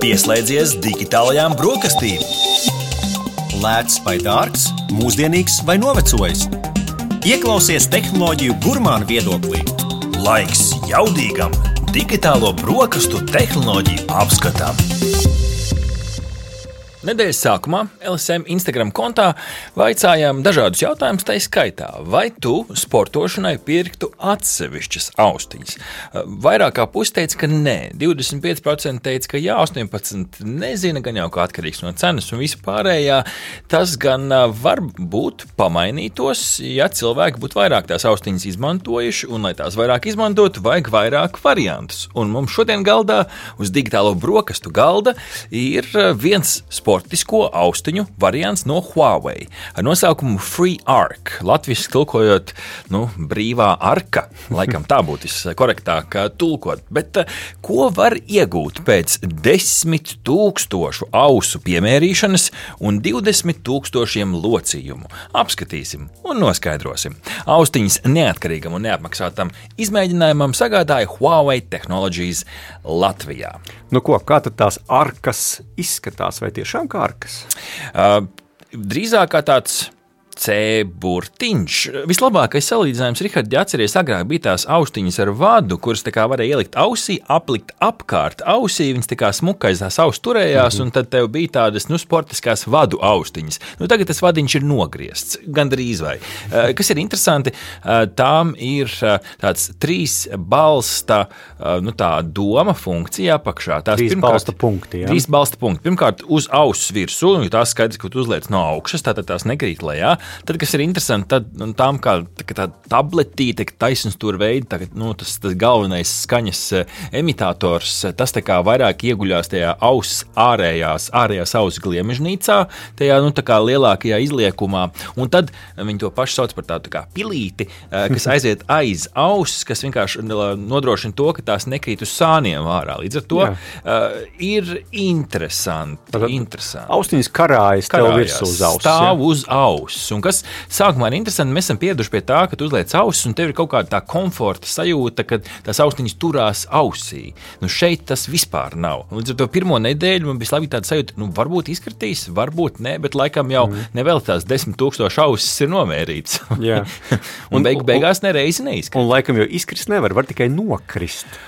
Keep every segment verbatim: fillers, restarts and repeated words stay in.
Pieslēdzies digitālajām brokastīm. Lēts vai dārgs, mūsdienīgs vai novecojis. Ieklausies tehnoloģiju gurmānu viedoklī. Laiks jaudīgam digitālo brokastu tehnoloģiju apskatam. Nedēļas sākumā L S M Instagram kontā vaicājām dažādus jautājumus, tai skaitā, vai tu sportošanai pirktu atsevišķas austiņas. Vairāk kā pusi teica, ka nē, divdesmit pieci procenti teica, ka jā, astoņpadsmit procenti nezina, gan jau kā atkarīgs no cenas un vispārējā. Tas gan var būt pamainītos, ja cilvēki būtu vairāk tās austiņas izmantojuši, un lai tās vairāk izmantotu, vajag vairāk variantus. Un mums šodien galdā uz digitālo brokastu galda ir viens sports sportisko austiņu variants no Huawei ar nosaukumu FreeArc. Latviski tulkojot, nu, brīvā arka, laikam tā būtu korektāk tulkot. Bet ko var iegūt pēc desmit tūkstošu ausu piemērīšanas un divdesmit tūkstošiem locījumu? Apskatīsim un noskaidrosim. Austiņas neatkarīgam un neapmaksātam izmēģinājumam sagādāja Huawei Technologies Latvijā. Nu ko, kā tad tās arkas izskatās, vai tiešām kā arkas? Uh, drīzāk kā tāds C-burtiņš. Vislabākais salīdzinājums, Rihard, ja atceries, agrāk bija tās austiņas ar vadu, kuras tā kā varēja ielikt ausī, aplikt apkārt ausī, viņas tā kā smukais tās auss turējās, mm-hmm. un tad tev bija tādas, nu, sportiskās vadu austiņas. Nu, tagad tas vadiņš ir nogriezts, gandrīz vai. Uh, kas ir interesanti, uh, tām ir uh, tāds trīs balsta, uh, nu, tā doma funkcija apakšā. Tās trīs pirmkārt, balsta punkti, jā? Trīs balsta punkti. Pirmkārt, uz auss virsū, jo tās skaidrs, ka tu uzliec no augšas, tātad tās nekrīt lejā. Tad, kas ir interesanti, tad tām kā tā, tā tabletīte, taisns tur veidi, tā, nu, tas, tas galvenais skaņas imitators, tas tā kā vairāk ieguļās tajā auss ārējās, ārējās auss gliemežnīcā, tajā, nu, tā kā lielākajā izliekumā, un tad viņi to pašu sauc par tādu tā kā pilīti, kas aiziet aiz auss, kas vienkārši nodrošina to, ka tās nekrīt uz sāniem ārā. Līdz ar to uh, ir interesanti. Tātad interesanti. Austiņas karājas tev virsū uz auss. Stāv ja? Uz auss. Un kas sākumā ir interesanti, mēs esam pieraduši pie tā, ka tu uzliec ausis un tev ir kaut kāda tā komforta sajūta, ka tās austiņas turās ausī. Nu šeit tas vispār nav. Līdz ar to pirmo nedēļu man bija labi tāda sajūta, nu varbūt izkritīs, varbūt ne, bet laikam jau mm. nevēl tās desmit tūkstoši ausis ir nomērīts. Jā. un beig, beigās nereizi neizkrīt. Un laikam jau izkrist nevar, var tikai nokrist.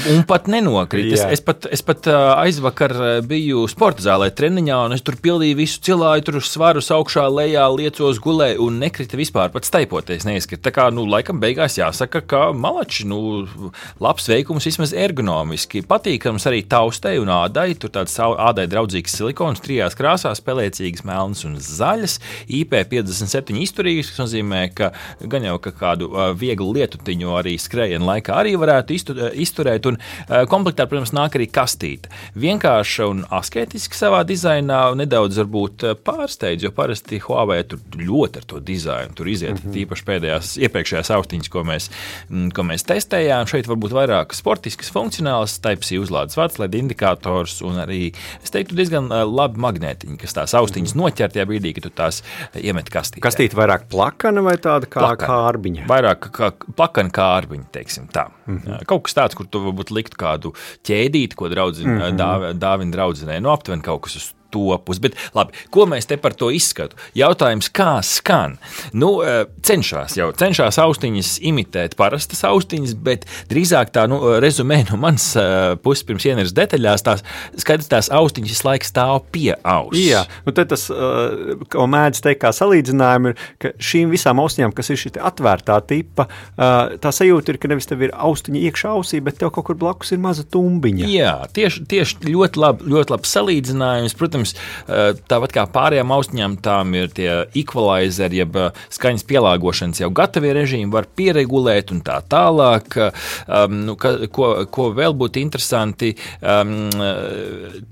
un pat nenokrīt. Es, es pat, es pat aizvakar biju sporta zālē treniņā, un es tur pildīju visu cilāju, tur svarus augšā, lejā, liecos, gulēju, un nekrita vispār, pat staipoties neizkrita. Tā kā, nu, laikam beigās jāsaka, ka malači, nu, labs veikums vismaz ergonomiski. Patīkams arī taustei un ādai, tur tāds ādai draudzīgs silikons, trijās krāsās, pelēcīgas, melnas un zaļas, I P piecdesmit septiņi izturīgas, kas nozīmē, ka gan jau ka kādu vieglu lietutiņu arī skrējienu laikā arī var izturēt, un komplektā, protams, nāk arī kastīte. Vienkārši un asketiski savā dizainā, nedaudz varbūt pārsteidz, jo parasti Huawei tur ļoti ar to dizainu, tur iziet mm-hmm. tīpaši pēdējās, iepriekšējās austiņas, ko mēs, ko mēs testējām. Šeit varbūt vairāk sportiskas, funkcionālas, Type-C uzlādes vads, L E D indikators un arī, es teiktu, diezgan labi magnētiņi, kas tās austiņas mm-hmm. noķer tajā brīdī, ka tu tās iemet kastītē. Kastīte vairāk plakana vai tāda kā plakana. Kārbiņa? Vairāk kā plakana kārbiņa, teiksim tā. Mm-hmm. Kaut kas tāds, kur tu varbūt likt kādu ķēdīti, ko draudzina, mm-hmm. dāv, dāvina draudzenei, nu aptuveni kaut kas uz topus. Bet labi, ko mēs te par to izskatu? Jautājums, kā skan? Nu, cenšās jau, cenšās austiņas imitēt parastas austiņas, bet drīzāk tā, nu, rezumē no manas puses pirms ieneras detaļās, tās skaidrs tās austiņas visu laiku stāv pie auss. Jā, nu tad tas, ko mēdz teikt kā salīdzinājumi, ir, ka šīm visām austiņām, kas ir šī atvērtā tipa, tā sajūta ir, ka nevis tev ir austiņa iekšā ausī, bet tev kaut kur blakus ir maza tumbiņa. Jā, tieši, tieši ļoti labi, ļoti labi salīdzinājums. Protams, tāpat kā pārējām austiņām, tām ir tie equalizeri, jeb skaņas pielāgošanas jau gatavie režīmi, var pieregulēt un tā tālāk. Um, nu, ka, ko, ko vēl būtu interesanti, um,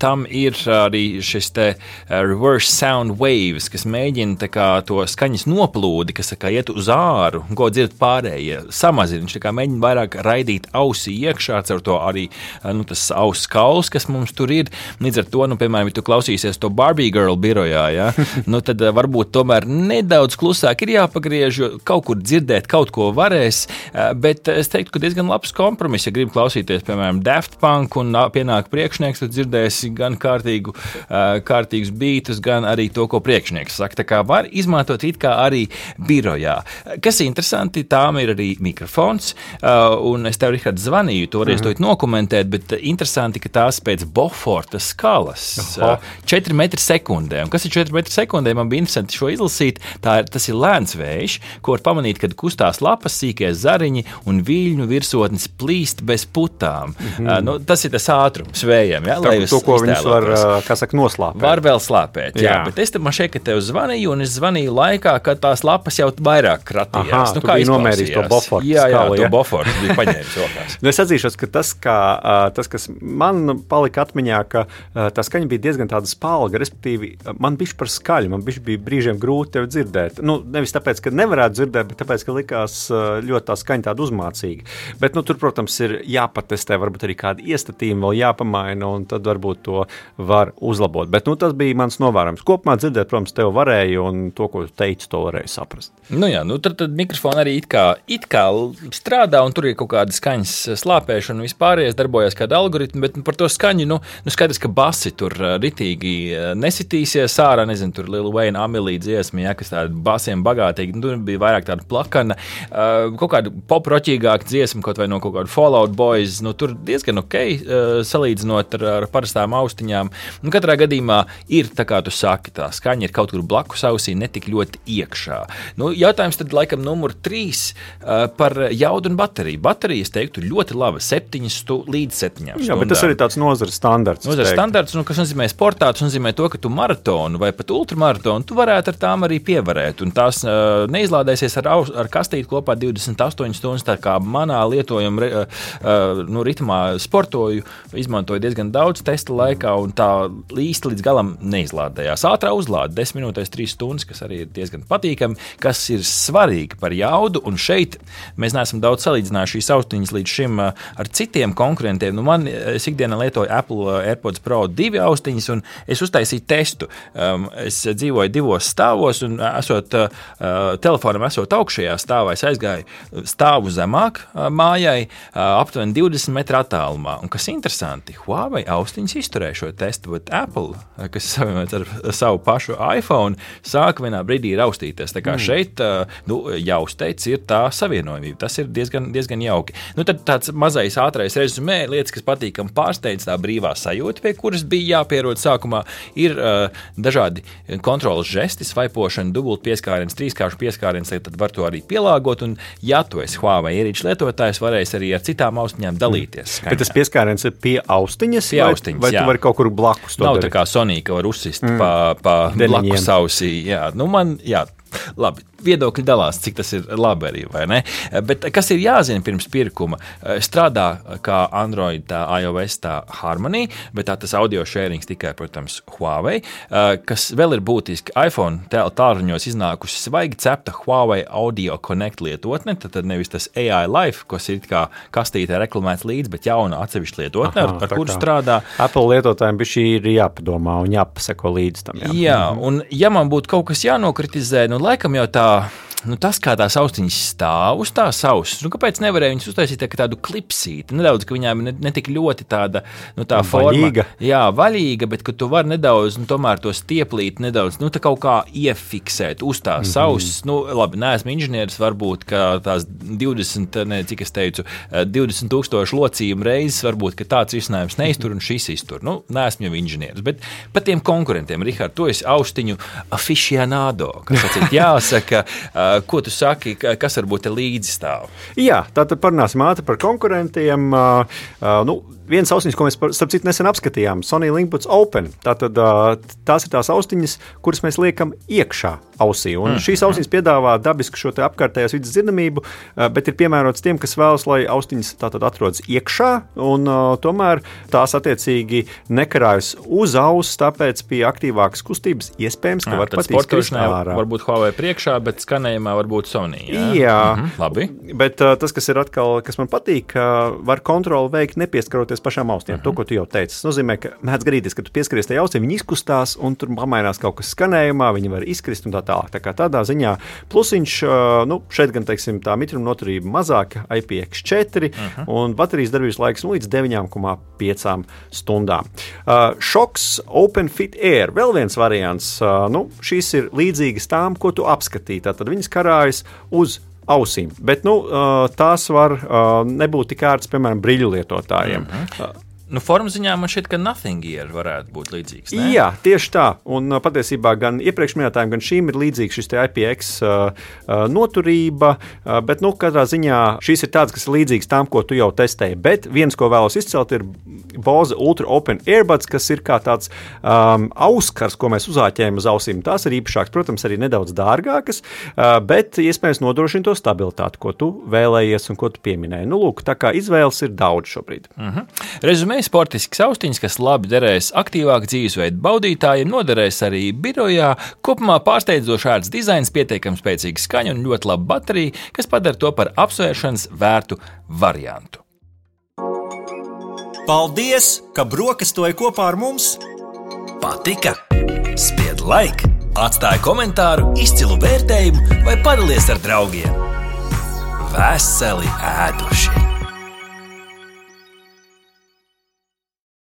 tam ir arī šis te reverse sound waves, kas mēģina tā kā to skaņas noplūdi, kas tā kā iet uz āru, ko dzird pārējie, samazina. Viņš tā kā mēģina vairāk raidīt ausī iekšā, caur to arī nu, tas auss kauls, kas mums tur ir. Līdz ar to, nu, piemēram, ja tu klausīs klausīsies to Barbie Girl birojā, ja? Nu, tad varbūt tomēr nedaudz klusāk ir jāpagriež, jo kaut kur dzirdēt kaut ko varēs, bet es teiktu, ka diezgan labs kompromiss, ja gribi klausīties, piemēram, Daft Punk un pienāk priekšnieks, tad dzirdēsi gan kārtīgu, kārtīgus bītus, gan arī to, ko priekšnieks saka. Tā kā var izmantot it kā arī birojā. Kas interesanti, tām ir arī mikrofons, un es tev, Rihard, zvanīju, toreiz mm-hmm. to dokumentēt, bet interesanti, ka tās pēc Boforta skalas četri metri sekundē. Un kas ir četri metri sekundē? Man bija interesanti šo izlasīt. Tā ir, tas ir lēns vējš, ko var pamanīt, kad kustās lapas, sīkie zariņi un viļņu virsotnes plīst bez putām. Mm-hmm. Uh, nu, tas ir tas ātrums vējiem, ja? Tā, to, ko viņš var, kā saka, noslāpēt. Var vēl slāpēt, jā. jā. Bet es te man šeit, ka tev zvanīju, un es zvanīju laikā, kad tās lapas jau vairāk kratījās. Aha, nu, tu biji nomērījis to Boforta jā, jā, skalu, to ja? Boforta bija paņēmis rokās. Nu, es atzīšos, ka tas, kā, tas, kas man palika atmiņā, ka tā skaņa bija diezgan tāda spalga, respektīvi, man bišķi par skaļu, man bišķi bija brīžiem grūti tevi dzirdēt. Nu, nevis tāpēc, ka nevarētu dzirdēt, bet tāpēc, ka likās ļoti tā skaņa tāda uzmācīga. Bet, nu, tur, protams, ir jāpatestē, varbūt arī kādi iestatījumi vēl jāpamaina, un tad varbūt to var uzlabot. Bet, nu, tas bija mans novērojums. Kopumā dzirdēt, protams, tev varēja, un to, ko tu teici, to varēja saprast. Nu jā, nu tad, tad mikrofoni arī it kā, it kā strādā, un tur ir kaut kāda skaņas slāpēšana, un vispārējais darbojas kāda algoritma, bet par to skaņu, nu, nu skaidrs, ka basi tur ritīgi nesitīsies ārā, nezinu, tur Lil Wayne, Amelija dziesma, ja, kas tāda basiem bagātīgi, nu, tur bija vairāk tāda plakana, uh, kaut kāda poproķīgāka dziesma, kaut vai no kaut kāda Fall Out Boys, nu, tur diezgan ok, uh, salīdzinot ar, ar parastām austiņām. Nu, katrā gadījumā ir, tā kā tu saki, tā skaņa ir kaut kur blakus ausī, netik ļoti iekšā. Nu, jautājums tad laikam numur trīs uh, par jaudu un bateriju. Baterijas, teiktu, ļoti laba, septiņas stu, līdz septiņām stundām. Jā, bet tas arī tāds nozares standarts. Nozares standarts, nu, kas nozīmē sportā, tas nozīmē to, ka tu maratonu vai pat ultramaratonu, tu varētu ar tām arī pievarēt, un tās uh, neizlādēsies ar, ar kastīti kopā divdesmit astoņas stundas, tā kā manā lietojuma uh, nu, ritmā sportoju, izmantoju diezgan daudz testa laikā, un tā īsti līdz galam neizlādējās. Ātrā uzlāde, desmit minūtēs, trīs stundas, kas arī ir diezgan patīkami, kas ir svarīgi par jaudu, un šeit mēs neesam daudz salīdzinājuši šīs austiņas līdz šim uh, ar citiem konkurentiem. Nu, man, es ikdienā lietoju Apple AirPods Pro divi austiņas, un es uztaisīju testu. Um, es dzīvoju divos stāvos, un esot uh, telefonam esot augšējā stāvā, es aizgāju stāvu zemāk uh, mājai, uh, aptuveni divdesmit metru attālumā. Un kas interesanti, Huawei austiņas izturēja šo testu, bet Apple, kas savienots ar savu pašu iPhone, sāka vienā brīdī raustīties. Tā kā mm. šeit, uh, nu, jāuzteic, ir tā savienojumība. Tas ir diezgan, diezgan jauki. Nu, tad tāds mazais ātrais rezumē, lietas, kas patīkam pārsteidz, tā brīvā sajūta, pie kuras bija jāpierod sākumā, ir uh, dažādi kontrolas žesti, svaipošana, dubult pieskāriens, trīskāršu pieskāriens, tad var to arī pielāgot, un ja tu esi Huawei ierīču lietotājs, varēs arī ar citām austiņām dalīties. Skaņā. Bet tas pieskāriens ir pie austiņas, pie vai, austiņas, vai tu vari kaut kur blakus to Nav darīt? Tā kā Sony, ka var uzsist mm. pa, pa blakus ausī. Jā, nu man, jā. Labi, viedokļi dalās, cik tas ir labi arī, vai ne? Bet kas ir jāzina pirms pirkuma? Strādā kā Android, tā iOS, tā Harmony, bet tā tas audio sharings tikai, protams, Huawei. Kas vēl ir būtiski, iPhone tālruņos iznākusi svaigi cepta Huawei Audio Connect lietotne, tad nevis tas A I Life, kas ir kā kastītē reklamēts līdz, bet jauna atsevišķa lietotne, Aha, ar, ar kuru strādā. Apple lietotājiem bišķi ir jāpadomā un jāpaseko līdz tam. Jā, jā un ja man būtu kaut kas jānokritizē, nu, laikam jau tā, nu, tas, kā tās austiņas stāv uz tās ausis, nu, kāpēc nevarēja viņas uztaisīt tā, tādu klipsīti, nedaudz, ka viņām ne, ne tik ļoti tāda, nu, tā vaļīga. forma. Jā, vaļīga, bet ka tu vari nedaudz, nu, tomēr to stieplīt nedaudz, nu, tā kaut kā iefiksēt uz tās mm-hmm. ausis. Nu, labi, neesmu inženieris, varbūt, ka tās divdesmit, ne, cik es teicu, divdesmit tūkstoši locījumu reizes, varbūt, ka tāds risinājums neiztur un šis iztur. Nu, neesmu jau inženieris, bet pat tiem konkurentiem, Rihard, tu esi austiņu aficionado, kas atcīt jāsaka, ko tu saki, kas varbūt te līdzi stāv? Jā, tātad parunāsim ātri par konkurentiem. Uh, uh, nu, viens austiņas, ko mēs, starp citu, nesen apskatījām, Sony LinkBuds Open. Tātad uh, tās ir tās austiņas, kuras mēs liekam iekšā ausī. Un mm. šīs austiņas piedāvā dabisku šo te apkārtējās vidas dzirdamību, uh, bet ir piemērots tiem, kas vēlas, lai austiņas tātad atrodas iekšā, un uh, tomēr tās attiecīgi nekarājas uz auss, tāpēc pie aktīvākas kustības iespējams, ka jā, var pat izkrist ārā. Varbūt Huawei priekšā, bet skanējumā varbūt Sony. Jā, jā mhm, labi. Bet uh, tas, kas ir atkal, kas man patīk, uh, var kontroli veikt nepieskaroties pieskaroties pašām austiem, uh-huh. to, ko tu jau teici. Tas nozīmē, ka mēdz gadīties, ka tu pieskaries tajā austī, viņi izkustās un tur pamainās kaut kas skanējumā, viņi var izkrist un tā tālāk. Tā kā tādā ziņā plusiņš, nu, šeit gan, teiksim, tā mitruma noturība mazāka, I P X četri, uh-huh. un baterijas darbības laiks nu, līdz deviņi komā pieci stundām. Uh, Šoks OpenFit Air, vēl viens variants, uh, nu, šīs ir līdzīgas tām, ko tu apskatīji. Tātad viņas karājas uz ausīm, bet nu, tās var nebūt tik ērtas, piemēram, briļu lietotājiem. Mm-hmm. Nu, formas ziņā man šķiet, ka Nothing Gear varētu būt līdzīgs, ne? Jā, tieši tā. Un patiesībā gan iepriekš minētājiem, gan šīm ir līdzīgs šis te I P X uh, uh, noturība, uh, bet, nu, katrā ziņā šīs ir tādas, kas ir līdzīgas tām, ko tu jau testēji. Bet viens, ko vēlos izcelt, ir Bose Ultra Open Earbuds, kas ir kā tāds um, auskars, ko mēs uzāķējam uz ausīm. Tās ir īpašākas, protams, arī nedaudz dārgākas, uh, bet iespējams nodrošina to stabilitāti, ko tu vēlējies un ko tu pieminēji. Nu, lūk, tā kā izvēles ir daudz šobrīd. Mhm. Rezumē sportisks austiņas, kas labi derēs aktīvāk dzīvesveidu baudītājiem, noderēs arī birojā. Kopumā pārsteidzoši ērts dizains, pietiekami spēcīga skaņa un ļoti laba baterija, kas padara to par apsvēršanas vērtu variantu. Paldies, ka brokastoji kopā ar mums! Patika? Spied like, atstāj komentāru, izcilu vērtējumu vai padalies ar draugiem. Veseli ēduši!